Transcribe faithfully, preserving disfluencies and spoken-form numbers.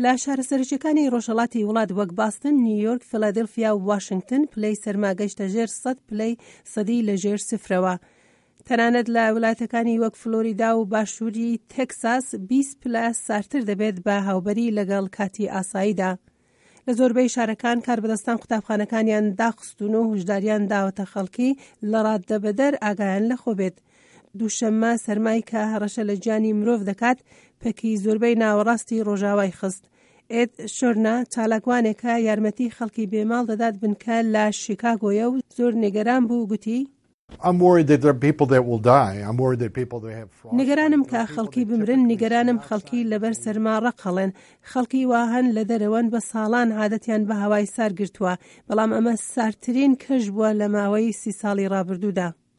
لە شارە سەرەکیەکانی ڕۆژهەڵاتی وڵات وەک باستن، نیویۆرک، فیلادلفیا و واشنگتن پلەی سەرما گەیشتە ژێر سەد پلەی سەدی لە ژێر سفرەوە. تەنانەت لە وڵاتەکانی وەک فلۆریدا و باشووری تێکساس بیست پلە سارتر دەبێت بە هاوبەری لەگەڵ کاتی ئاساییدا. لە زۆربەی شارەکان کاربەدەستان قوتابخانەکانیان داخستون و هۆشداریان داوەتە خەڵکی لە ڕاددەبەدەر ئاگایان لەخۆ بێت. دووشەممە سەرمای کە هەڕەشە لە گیانی مرۆڤ دەکات پەکی زۆربەی ناوەڕاستی ڕۆژاوای خست. ئێد شۆرنا چالاکوانێکە یارمەتی خەڵکی بێماڵ دەدات بنکە لە شیکاگۆیە و زۆر نیگەران بوو، گوتی: I'm worried that there are people that will die. I'm worried that people that have frostbite. نیگەرانم کە خەڵکی بمرن، نیگەرانم خەڵکی لەبەر سەرما ڕەق هەڵێن. خەڵکی وا هەن لە دەرەوەن بە ساڵان عادەتیان بە هەوای سار گرتووە، بەڵام ئەمە ساردترین کەش بووە لە ماوەی سی ساڵی ڕابردوودا.